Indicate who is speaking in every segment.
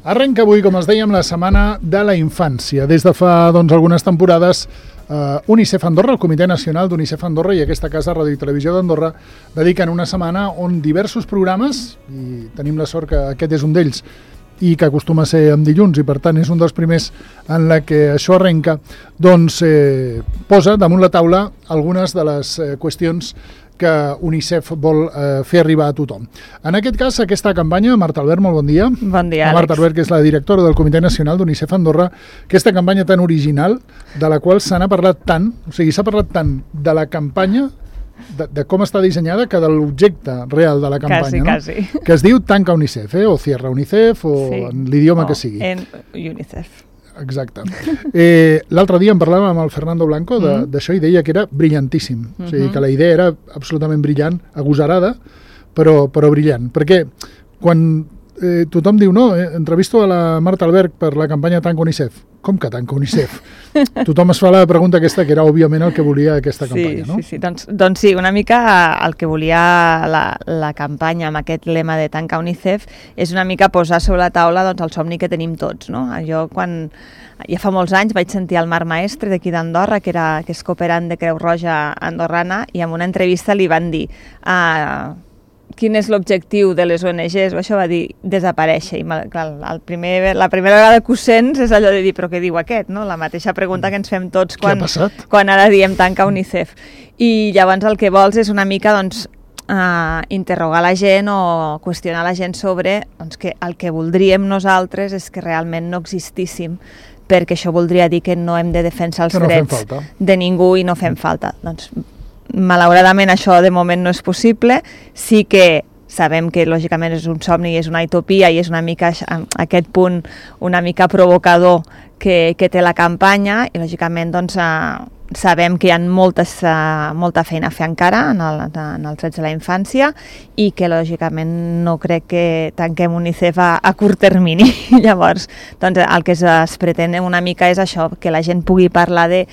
Speaker 1: Arrenca avui, com els dèiem, la Setmana de la Infància. Des de fa algunes temporades, UNICEF Andorra, el Comitè Nacional d'UNICEF Andorra i aquesta casa Ràdio i Televisió d'Andorra dediquen una setmana on diversos programes, i tenim la sort que aquest és un d'ells, i que acostuma a ser en dilluns i per tant és un dels primers en la que això arrenca, doncs posa damunt la taula algunes de les qüestions que UNICEF vol fer arribar a tothom. En aquest cas, aquesta campanya, Marta Albert, molt bon dia.
Speaker 2: Bon dia, Àlex.
Speaker 1: Marta Albert, que és la directora del Comitè Nacional d'UNICEF Andorra, aquesta campanya tan original, de la qual se n'ha parlat tant, o sigui, s'ha parlat tant de la campanya, de com està dissenyada, que de l'objecte real de la campanya,
Speaker 2: quasi.
Speaker 1: Que es diu Tanca UNICEF, o Cierra UNICEF, o sí, en l'idioma que sigui.
Speaker 2: En UNICEF.
Speaker 1: Exacte. L'altre dia en parlàvem amb el Fernando Blanco d'això i deia que era brillantíssim. O sigui, que la idea era absolutament brillant, agosarada, però brillant. Perquè quan tothom diu, no, entrevisto a la Marta Albert per la campanya Tanca UNICEF. Com que Tanca UNICEF? Tothom es fa la pregunta aquesta, que era òbviament el que volia aquesta campanya, no?
Speaker 2: Sí. Doncs sí, una mica el que volia la campanya amb aquest lema de Tanca UNICEF és una mica posar sobre la taula el somni que tenim tots, no? Jo ja fa molts anys vaig sentir el Marc Maestre d'aquí d'Andorra, que és cooperant de Creu Roja andorrana, i en una entrevista li van dir quin és l'objectiu de les ONGs, o això va dir desaparèixer, i clar, la primera vegada que ho sents és allò de dir, però què diu aquest, no? La mateixa pregunta que ens fem tots quan ara diem Tanca UNICEF. I llavors el que vols és una mica interrogar la gent o qüestionar la gent sobre que el que voldríem nosaltres és que realment no existíssim, perquè això voldria dir que no hem de defensar els drets de ningú i no fem falta. Doncs malauradament això de moment no és possible. Sí que sabem que lògicament és un somni i és una utopia i és una mica aquest punt una mica provocador que té la campanya, i lògicament sabem que hi ha molta feina a fer encara en els drets de la infància i que lògicament no crec que tanquem UNICEF a curt termini. Llavors, el que es pretén una mica és això, que la gent pugui parlar de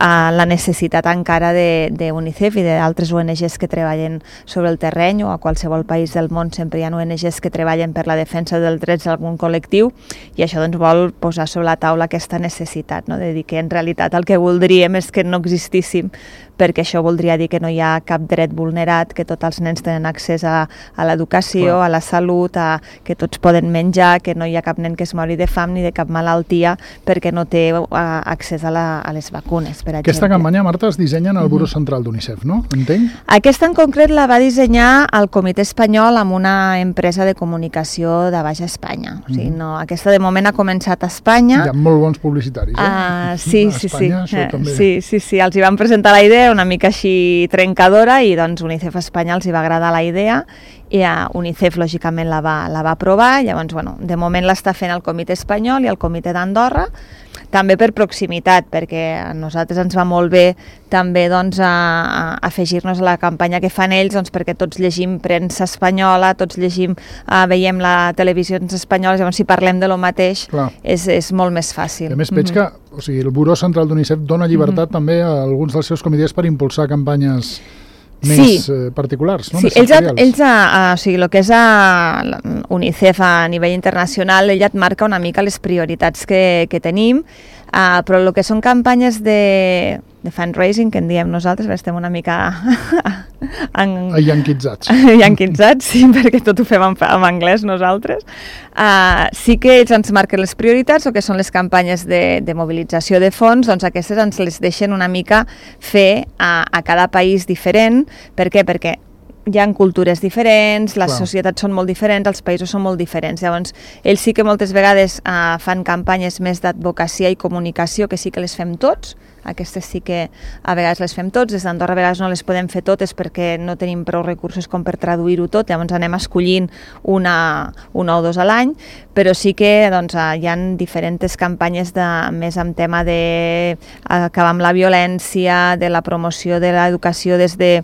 Speaker 2: la necessitat encara d'UNICEF i d'altres ONGs que treballen sobre el terreny, o a qualsevol país del món sempre hi ha ONGs que treballen per la defensa dels drets d'algun col·lectiu, i això vol posar sobre la taula aquesta necessitat, no? De dir que en realitat el que voldríem és que no existíssim, perquè això voldria dir que no hi ha cap dret vulnerat, que tots els nens tenen accés a l'educació, a la salut, que tots poden menjar, que no hi ha cap nen que es mori de fam ni de cap malaltia perquè no té accés a les vacunes, per exemple.
Speaker 1: Aquesta campanya, Marta, es dissenya en el Buró Central d'UNICEF, no? Entenc?
Speaker 2: Aquesta en concret la va dissenyar el Comitè Espanyol amb una empresa de comunicació de Baixa Espanya. O sigui, aquesta de moment ha començat a Espanya.
Speaker 1: Hi ha molt bons publicitaris,
Speaker 2: Sí. Sí, els hi van presentar la idea una mica així trencadora i UNICEF Espanya els hi va agradar la idea i UNICEF lògicament la va aprovar. Llavors, de moment l'està fent el Comitè Espanyol i el Comitè d'Andorra, també per proximitat, perquè a nosaltres ens va molt bé també afegir-nos a la campanya que fan ells, perquè tots llegim premsa espanyola, tots veiem la televisió espanyola, llavors si parlem de lo mateix és molt més fàcil.
Speaker 1: A més, veig que el Buró Central d'UNICEF dona llibertat també a alguns dels seus comitès per impulsar campanyes més particulars, no?
Speaker 2: Sí, el que és UNICEF a nivell internacional, ell et marca una mica les prioritats que tenim, però el que són campanyes de fundraising, que en diem nosaltres, estem una mica
Speaker 1: Yanquitzats.
Speaker 2: Yanquitzats, sí, perquè tot ho fem en anglès nosaltres. Sí que ells ens marquen les prioritats, o que són les campanyes de mobilització de fons, doncs aquestes ens les deixen una mica fer a cada país diferent. Per què? Perquè hi ha cultures diferents, les societats són molt diferents, els països són molt diferents. Llavors, ells sí que moltes vegades fan campanyes més d'advocacia i comunicació, que sí que les fem tots. Aquestes sí que a vegades les fem tots. Des d'Andorra a vegades no les podem fer totes perquè no tenim prou recursos com per traduir-ho tot. Llavors anem escollint una o dos a l'any, però sí que hi ha diferents campanyes més amb tema d'acabar amb la violència, de la promoció de l'educació des de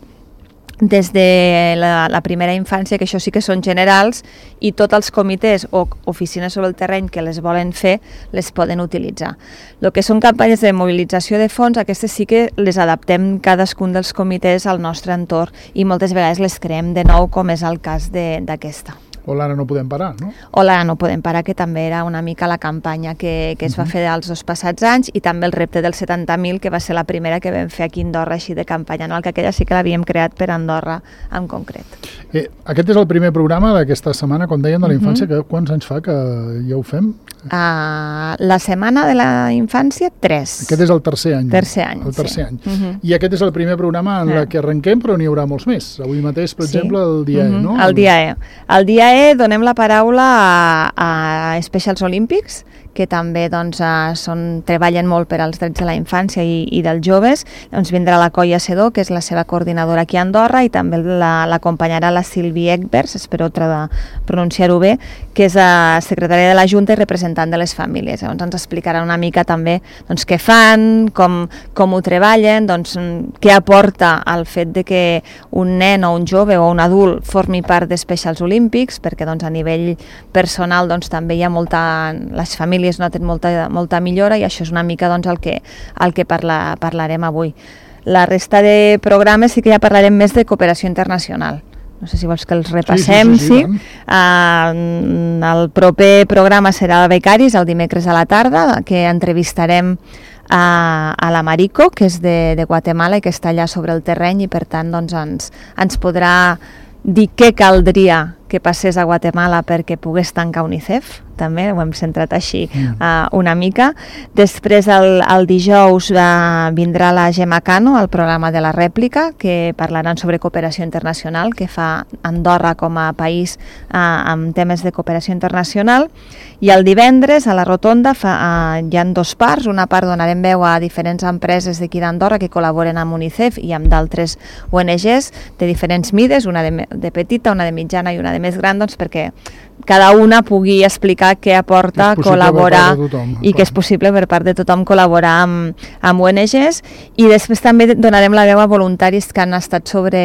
Speaker 2: la primera infància, que això sí que són generals, i tots els comitès o oficines sobre el terreny que les volen fer les poden utilitzar. El que són campanyes de mobilització de fons, aquestes sí que les adaptem cadascun dels comitès al nostre entorn i moltes vegades les creem de nou, com és el cas d'aquesta.
Speaker 1: O l'Ara no podem parar, no?
Speaker 2: O l'Ara no podem parar, que també era una mica la campanya que es va fer els 2 passats anys, i també el repte dels 70.000, que va ser la primera que vam fer aquí a Andorra, així de campanya anual, que aquella sí que l'havíem creat per Andorra en concret.
Speaker 1: Aquest és el primer programa d'aquesta setmana, com deien, de la infància, que quants anys fa que ja ho fem?
Speaker 2: La setmana de la infància, 3.
Speaker 1: Aquest és el tercer any.
Speaker 2: El tercer any.
Speaker 1: I aquest és el primer programa en què arrenquem, però n'hi haurà molts més. Avui mateix, per exemple, el dia E, no?
Speaker 2: El dia E. El dia E donem la paraula a Specials Olympics, que també treballen molt per als drets de la infància i dels joves. Vindrà la Colla Sedó, que és la seva coordinadora aquí a Andorra, i també l'acompanyarà la Sílvia Egbers, espero pronunciar-ho bé, que és secretària de la Junta i representant de les famílies. Llavors ens explicarà una mica també què fan, com ho treballen, què aporta el fet de que un nen o un jove o un adult formi part de Specials Olympics, perquè a nivell personal també hi ha les famílies noten molta millora, i això és una mica el que parlarem avui. La resta de programes sí que ja parlarem més de cooperació internacional. No sé si vols que els repassem. Sí. El proper programa serà de becaris, el dimecres a la tarda, que entrevistarem a la Mariko, que és de Guatemala i que està allà sobre el terreny, i per tant ens podrà dir què caldria que passés a Guatemala perquè pogués tancar UNICEF. També ho hem centrat així una mica. Després, el dijous, vindrà la Gemma Cano, al programa de la rèplica, que parlaran sobre cooperació internacional, que fa Andorra com a país amb temes de cooperació internacional. I el divendres, a la Rotonda, hi ha 2 parts. Una part donarem veu a diferents empreses d'aquí d'Andorra que col·laboren amb UNICEF i amb d'altres ONGs de diferents mides, una de petita, una de mitjana i una de més gran, perquè cada una pugui explicar què aporta col·laborar i que és possible per part de tothom col·laborar amb ONGs. I després també donarem la veu a voluntaris que han estat sobre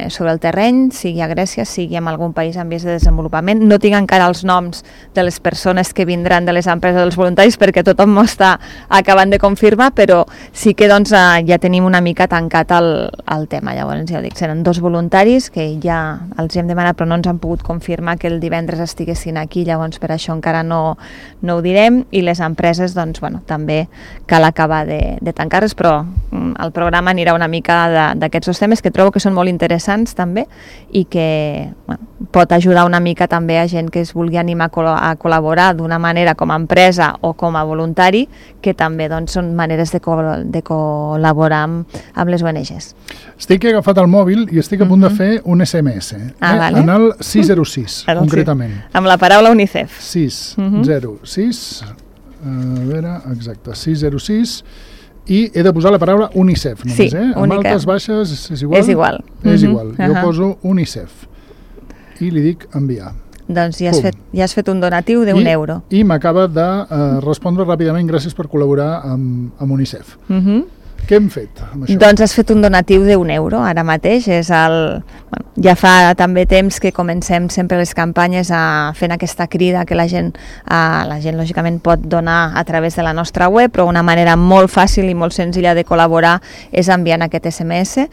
Speaker 2: el terreny, sigui a Grècia, sigui en algun país en vies de desenvolupament. No tinc encara els noms de les persones que vindran de les empreses dels voluntaris perquè tothom m'ho està acabant de confirmar, però sí que ja tenim una mica tancat el tema. Llavors, ja ho dic, seran 2 voluntaris que ja els hem demanat però no ens han pogut confirmar que el divendres estiguessin aquí, llavors per això encara no ho direm, i les empreses també cal acabar de tancar-les, però el programa anirà una mica d'aquests 2 temes que trobo que són molt interessants també i que pot ajudar una mica també a gent que es vulgui animar a col·laborar d'una manera com a empresa o com a voluntari, que també són maneres de col·laborar amb les ONGs.
Speaker 1: Estic agafat el mòbil i estic a punt de fer un SMS,
Speaker 2: vale.
Speaker 1: En el 606, concretament.
Speaker 2: Amb la paraula UNICEF.
Speaker 1: 606, a veure, exacte, 606, i he de posar la paraula UNICEF només,
Speaker 2: sí,
Speaker 1: amb altes, baixes, és igual?
Speaker 2: És igual.
Speaker 1: És igual, jo poso UNICEF i li dic enviar.
Speaker 2: Doncs ja has fet un donatiu d'1 euro.
Speaker 1: I m'acaba de respondre ràpidament, gràcies per col·laborar amb UNICEF. Què hem fet amb això?
Speaker 2: Doncs has fet un donatiu d'1 euro ara mateix. Ja fa també temps que comencem sempre les campanyes fent aquesta crida que la gent lògicament pot donar a través de la nostra web, però una manera molt fàcil i molt senzilla de col·laborar és enviant aquest SMS,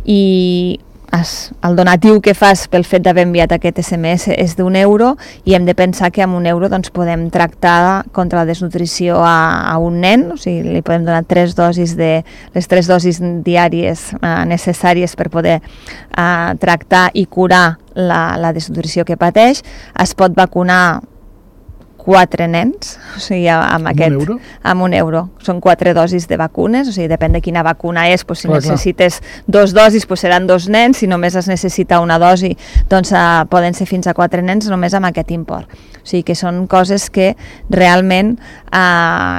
Speaker 2: i el donatiu que fas pel fet d'haver enviat aquest SMS és d'1 euro, i hem de pensar que amb 1 euro podem tractar contra la desnutrició a un nen, o sigui, li podem donar les 3 dosis diàries necessàries per poder tractar i curar la desnutrició que pateix. Es pot vacunar 4 nens, o sigui, amb un euro. Són 4 dosis de vacunes, o sigui, depèn de quina vacuna és, si necessites 2 dosis seran 2 nens, si només es necessita una dosi, doncs poden ser fins a 4 nens només amb aquest import. O sigui que són coses que realment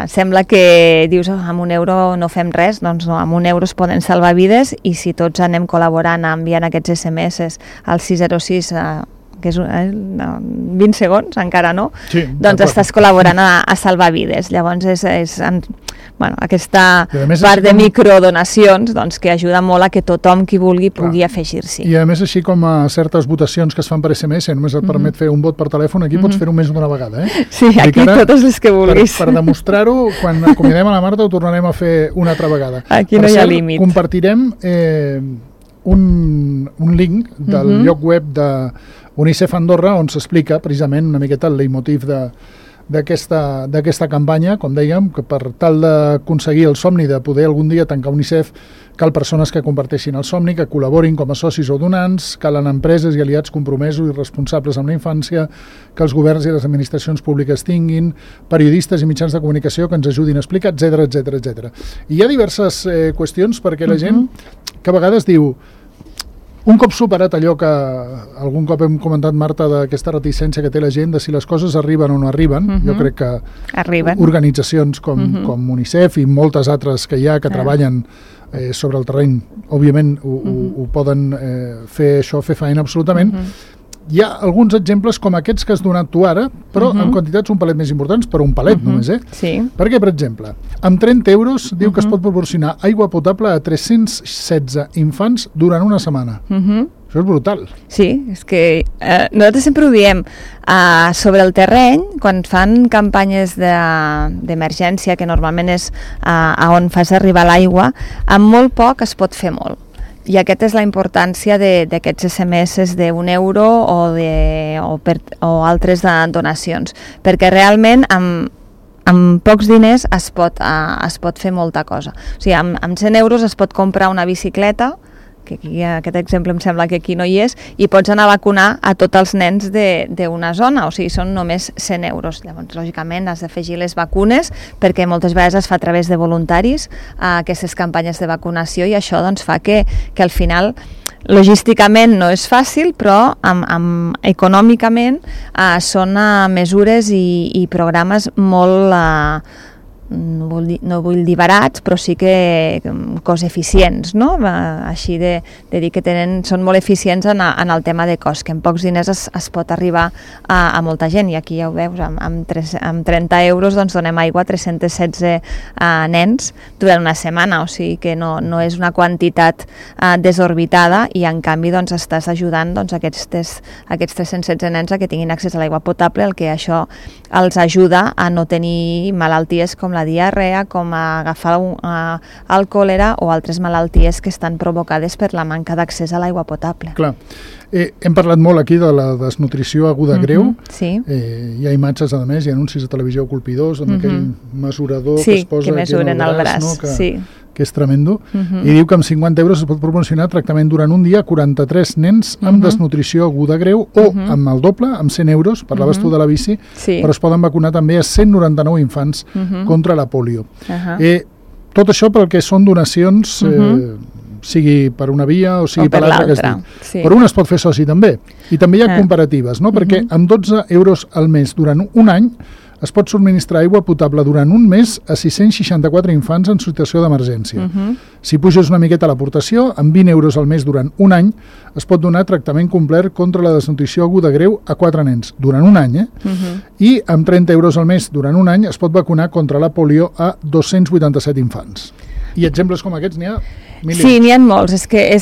Speaker 2: sembla que dius, amb 1 euro no fem res, doncs no, amb 1 euro es poden salvar vides, i si tots anem col·laborant enviant aquests SMS al 606 que és 20 segons, encara no, doncs estàs col·laborant a salvar vides. Llavors és aquesta part de microdonacions que ajuda molt a que tothom qui vulgui pugui afegir-s'hi.
Speaker 1: I a més, així com a certes votacions que es fan per SMS, només et permet fer un vot per telèfon, aquí pots fer-ho més d'una vegada.
Speaker 2: Sí, aquí totes les que vulguis.
Speaker 1: Per demostrar-ho, quan acomiadem a la Marta ho tornarem a fer una altra vegada.
Speaker 2: Aquí no hi ha límit.
Speaker 1: Compartirem un link del lloc web de UNICEF Andorra, on s'explica precisament una miqueta el leitmotiv d'aquesta campanya, com dèiem, que per tal d'aconseguir el somni de poder algun dia tancar UNICEF, cal persones que comparteixin el somni, que col·laborin com a socis o donants, calen empreses i aliats compromesos i responsables amb la infància, que els governs i les administracions públiques tinguin, periodistes i mitjans de comunicació que ens ajudin a explicar, etc etc. I hi ha diverses qüestions perquè la gent que a vegades diu, un cop superat allò que algun cop hem comentat, Marta, d'aquesta reticència que té la gent de si les coses arriben o no arriben, jo crec que organitzacions com UNICEF i moltes altres que hi ha que treballen sobre el terreny, òbviament ho poden fer feina absolutament. Hi ha alguns exemples com aquests que has donat tu ara, però en quantitats un palet més importants, però un palet només,
Speaker 2: Sí.
Speaker 1: Perquè, per exemple, amb 30 euros diu que es pot proporcionar aigua potable a 316 infants durant una setmana. Això és brutal.
Speaker 2: Sí, és que nosaltres sempre ho diem, sobre el terreny, quan fan campanyes d'emergència, que normalment és on fas arribar l'aigua, amb molt poc es pot fer molt. I aquesta és la importància d'aquests SMS d'1 euro o altres donacions, perquè realment amb pocs diners es pot fer molta cosa. O sigui, amb 100 euros es pot comprar una bicicleta, que aquí, aquest exemple em sembla que aquí no hi és, i pots anar a vacunar a tots els nens d'una zona, o sigui, són només 100 euros. Llavors, lògicament, has d'afegir les vacunes, perquè moltes vegades es fa a través de voluntaris aquestes campanyes de vacunació, i això doncs, fa que al final logísticament no és fàcil, però econòmicament són mesures i programes molt... no vull dir barats, però sí que cost eficients, no? Així de dir que són molt eficients en el tema de cost, que amb pocs diners es pot arribar a molta gent, i aquí ja ho veus, amb 30 euros doncs donem aigua a 316 nens durant una setmana, o sigui que no és una quantitat desorbitada, i en canvi doncs estàs ajudant aquests 316 nens a que tinguin accés a l'aigua potable, el que això els ajuda a no tenir malalties com la diarrea, com agafar el còlera o altres malalties que estan provocades per la manca d'accés a l'aigua potable.
Speaker 1: Clar. Hem parlat molt aquí de la desnutrició aguda greu.
Speaker 2: Sí.
Speaker 1: Hi ha imatges, a més, hi ha anuncis de televisió colpidors amb aquell mesurador que es posa aquí en el braç, no? Que és tremendo, i diu que amb 50 euros es pot proporcionar tractament durant un dia a 43 nens amb desnutrició aguda greu, o amb el doble, amb 100 euros, parlaves tu de la bici, però es poden vacunar també a 199 infants contra la pòlio. Tot això pel que són donacions, sigui per una via o sigui per l'altra que es diu. Però un es pot fer soci també, i també hi ha comparatives, perquè amb 12 euros al mes durant un any es pot subministrar aigua potable durant un mes a 664 infants en situació d'emergència. Si puges una miqueta l'aportació, amb 20 euros al mes durant un any, es pot donar tractament complet contra la desnutrició aguda greu a 4 nens, durant un any, i amb 30 euros al mes durant un any es pot vacunar contra la polio a 287 infants. I exemples com aquests n'hi ha milions.
Speaker 2: Sí, n'hi ha molts. És que em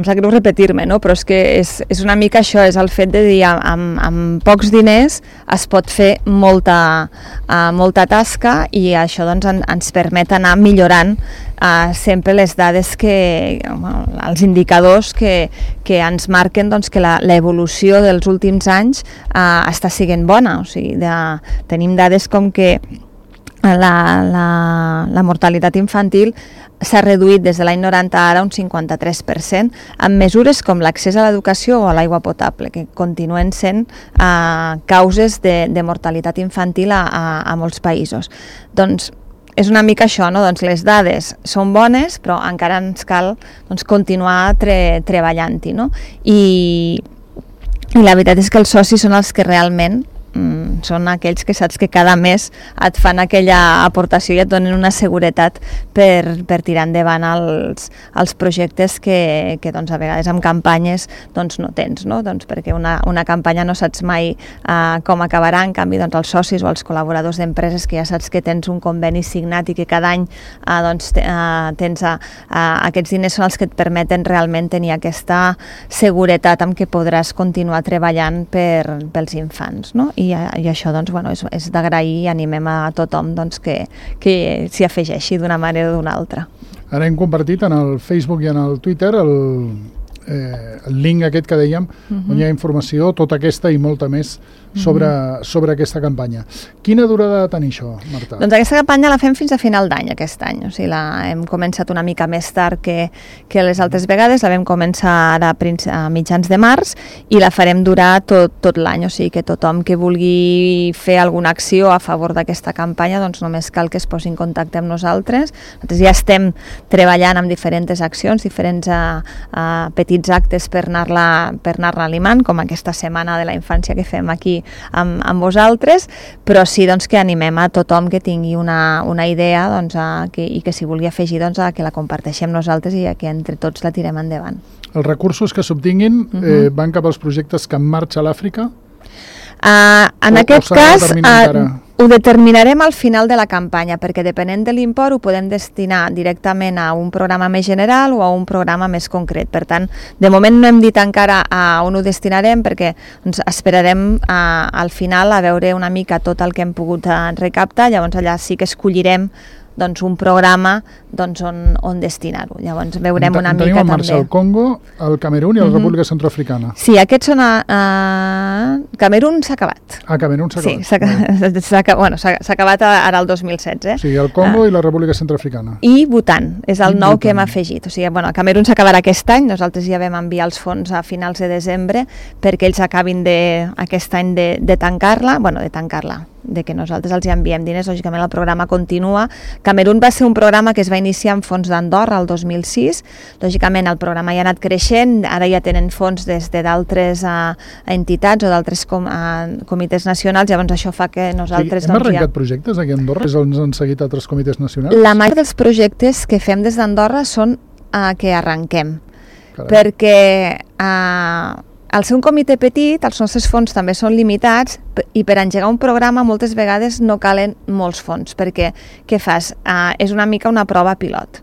Speaker 2: sap greu repetir-me, no? Però és que és una mica això, és el fet de dir amb pocs diners es pot fer molta tasca, i això doncs ens permet anar millorant sempre les dades els indicadors que ens marquen doncs, que l'evolució dels últims anys està sent bona. O sigui, tenim dades com que la mortalitat infantil s'ha reduït des de l'any 90 ara un 53%, amb mesures com l'accés a l'educació o a l'aigua potable, que continuen sent causes de mortalitat infantil a molts països. Doncs és una mica això, no? Doncs les dades són bones, però encara ens cal continuar treballant-hi, no? I la veritat és que els socis són els que realment són aquells que saps que cada mes et fan aquella aportació i et donen una seguretat per tirar endavant els projectes que doncs, a vegades amb campanyes doncs, no tens, no? Doncs perquè una campanya no saps mai com acabarà, en canvi doncs, els socis o els col·laboradors d'empreses que ja saps que tens un conveni signat i que cada any tens aquests diners són els que et permeten realment tenir aquesta seguretat amb què podràs continuar treballant pels infants, no? I això doncs, és d'agrair, i animem a tothom doncs, que s'hi afegeixi d'una manera o d'una altra.
Speaker 1: Ara hem compartit en el Facebook i en el Twitter el link aquest que dèiem, on hi ha informació, tota aquesta i molta més sobre aquesta campanya. Quina durada ha de tenir això, Marta?
Speaker 2: Doncs aquesta campanya la fem fins a final d'any, aquest any. O sigui, hem començat una mica més tard que les altres vegades, la vam començar ara a mitjans de març i la farem durar tot l'any. O sigui que tothom que vulgui fer alguna acció a favor d'aquesta campanya, doncs només cal que es posi en contacte amb nosaltres. Nosaltres ja estem treballant amb diferents accions, diferents petits actes per anar-la limant, com aquesta setmana de la infància que fem aquí amb vosaltres, però sí doncs, que animem a tothom que tingui una idea doncs, i que s'hi vulgui afegir doncs, a que la comparteixem nosaltres i a que entre tots la tirem endavant.
Speaker 1: Els recursos que s'obtinguin van cap als projectes que en marxa a l'Àfrica?
Speaker 2: En aquest cas ho determinarem al final de la campanya, perquè depenent de l'import ho podem destinar directament a un programa més general o a un programa més concret. Per tant, de moment no hem dit encara a on ho destinarem, perquè ens esperarem al final a veure una mica tot el que hem pogut recaptar, llavors allà sí que escollirem doncs, un programa doncs, on destinar-ho. Llavors veurem una mica també.
Speaker 1: Tenim en marxa el Congo, el Camerún i la República Centroafricana.
Speaker 2: Sí, aquests són Camerún s'ha acabat.
Speaker 1: Camerún s'ha acabat.
Speaker 2: Sí, s'ha acabat ara el 2016.
Speaker 1: O sigui, el Congo i la República Centroafricana.
Speaker 2: I Bhutan, és el nou que hem afegit. O sigui, Camerún s'acabarà aquest any, nosaltres ja vam enviar els fons a finals de desembre perquè ells acabin aquest any de tancar-la, de que nosaltres els enviem diners, lògicament el programa continua. Camerún va ser un programa que es va iniciar amb fons d'Andorra el 2006, lògicament el programa ja ha anat creixent, ara ja tenen fons des d'altres entitats o d'altres comitès nacionals, llavors això fa que nosaltres...
Speaker 1: Hem arrencat projectes aquí a Andorra? És on han seguit altres comitès nacionals?
Speaker 2: La majoria dels projectes que fem des d'Andorra són que arrenquem, perquè... Al ser un comitè petit, els nostres fons també són limitats i per engegar un programa moltes vegades no calen molts fons, perquè què fas? És una mica una prova pilot.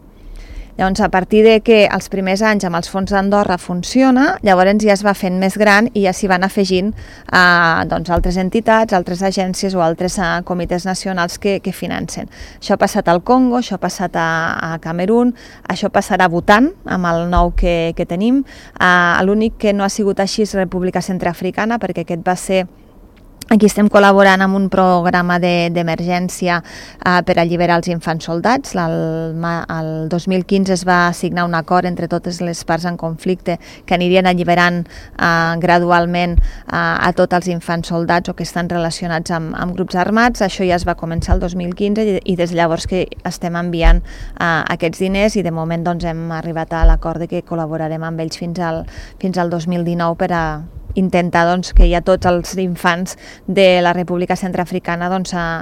Speaker 2: Llavors, a partir de que els primers anys amb els fons d'Andorra funciona, llavors ja es va fent més gran i ja s'hi van afegint altres entitats, altres agències o altres comitès nacionals que financen. Això ha passat al Congo, això ha passat a Camerún, això passarà a Bhutan, amb el nou que tenim. L'únic que no ha sigut així és República Centroafricana, perquè aquest va ser... Aquí estem col·laborant amb un programa d'emergència per alliberar els infants soldats. El 2015 es va signar un acord entre totes les parts en conflicte que anirien alliberant gradualment a tots els infants soldats o que estan relacionats amb grups armats. Això ja es va començar el 2015 i des de llavors que estem enviant aquests diners i de moment doncs, hem arribat a l'acord de que col·laborarem amb ells fins al 2019 per a intentar que hi ha tots els infants de la República Centroafricana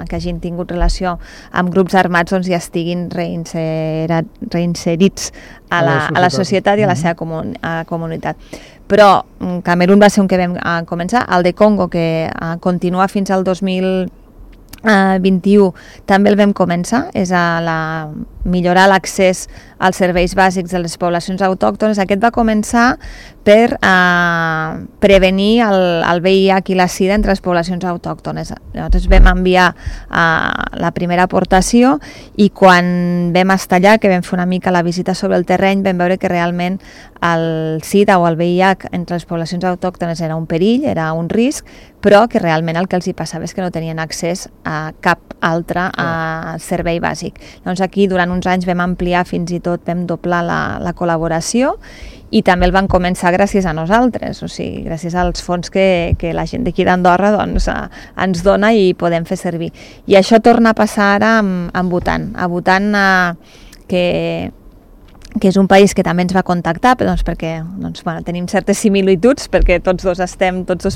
Speaker 2: que hagin tingut relació amb grups armats ja estiguin reinserits a la societat i a la seva comunitat. Però Camerún va ser un que vam començar, el de Congo que continua fins al 2021 també el vam començar, és millorar l'accés als serveis bàsics de les poblacions autòctones. Aquest va començar per prevenir el VIH i la SIDA entre les poblacions autòctones. Llavors vam enviar la primera aportació i quan vam estar allà, que vam fer una mica la visita sobre el terreny, vam veure que realment el SIDA o el VIH entre les poblacions autòctones era un perill, era un risc, però que realment el que els hi passava és que no tenien accés a cap altre servei bàsic. Doncs aquí durant uns anys vam ampliar, fins i tot vam doblar la col·laboració i també el van començar gràcies a nosaltres, o sigui, gràcies als fons que la gent d'aquí d'Andorra ens dona i podem fer servir. I això torna a passar ara amb Bhutan. A Bhutan, que és un país que també ens va contactar, perquè tenim certes similituds, perquè tots dos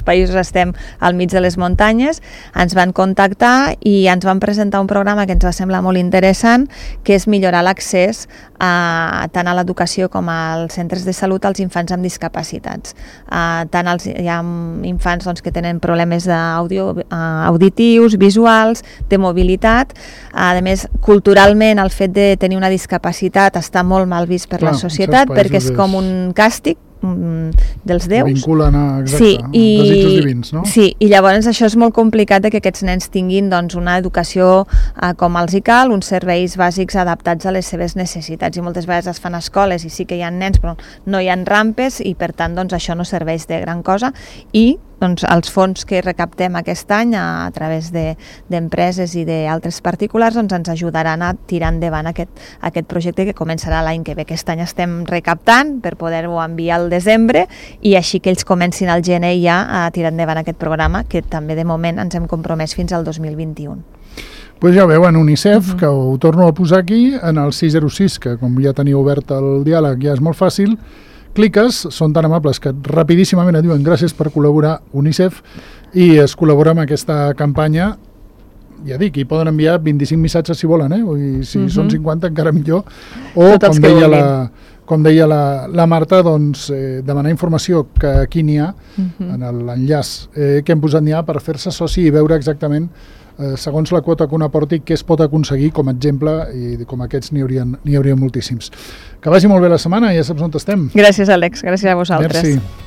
Speaker 2: països estem al mig de les muntanyes, ens van contactar i ens van presentar un programa que ens va semblar molt interessant, que és millorar l'accés tant a l'educació com als centres de salut als infants amb discapacitats. Hi ha infants que tenen problemes auditius, visuals, de mobilitat. A més, culturalment, el fet de tenir una discapacitat està molt mal vist per la societat, perquè és com un càstig, dels déus.
Speaker 1: Vinculen a desitjos divins, no?
Speaker 2: Sí, i llavors això és molt complicat que aquests nens tinguin doncs, una educació com els hi cal, uns serveis bàsics adaptats a les seves necessitats, i moltes vegades es fan escoles i sí que hi ha nens però no hi ha rampes i per tant doncs, això no serveix de gran cosa, i doncs, els fons que recaptem aquest any a través d'empreses i d'altres particulars doncs, ens ajudaran a tirar endavant aquest projecte que començarà l'any que ve. Aquest any estem recaptant per poder-ho enviar al desembre i així que ells comencin al gener ja a tirar endavant aquest programa que també de moment ens hem compromès fins al 2021.
Speaker 1: Pues ja veuen, UNICEF, que ho torno a posar aquí, en el 606, que com ja teniu obert el diàleg ja és molt fàcil, cliques, són tan amables que rapidíssimament et diuen gràcies per col·laborar UNICEF i es col·labora amb aquesta campanya. Ja dic, hi poden enviar 25 missatges si volen, i si són 50 encara millor, o com deia la Marta, doncs, demanar informació, que aquí n'hi ha, en l'enllaç que hem posat n'hi ha per fer-se soci i veure exactament segons la quota que un aporti, què es pot aconseguir com a exemple, i com aquests n'hi hauria moltíssims. Que vagi molt bé la setmana, ja saps on estem.
Speaker 2: Gràcies, Àlex, gràcies a vosaltres.
Speaker 1: Merci.